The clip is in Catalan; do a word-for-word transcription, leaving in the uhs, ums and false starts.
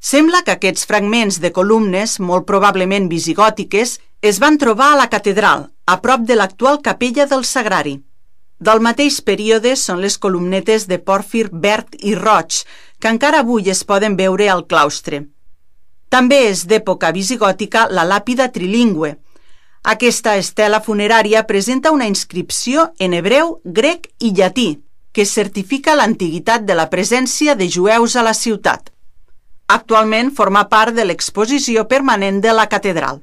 Sembla que aquests fragments de columnes, molt probablement visigòtiques, es van trobar a la catedral, a prop de l'actual capella del Sagrari. Del mateix període són les columnetes de pòrfir verd i roig, que encara avui es poden veure al claustre. També és d'època visigòtica la làpida trilingüe. Aquesta estela funerària presenta una inscripció en hebreu, grec i llatí, que certifica l'antiguitat de la presència de jueus a la ciutat. Actualment forma part de l'exposició permanent de la catedral.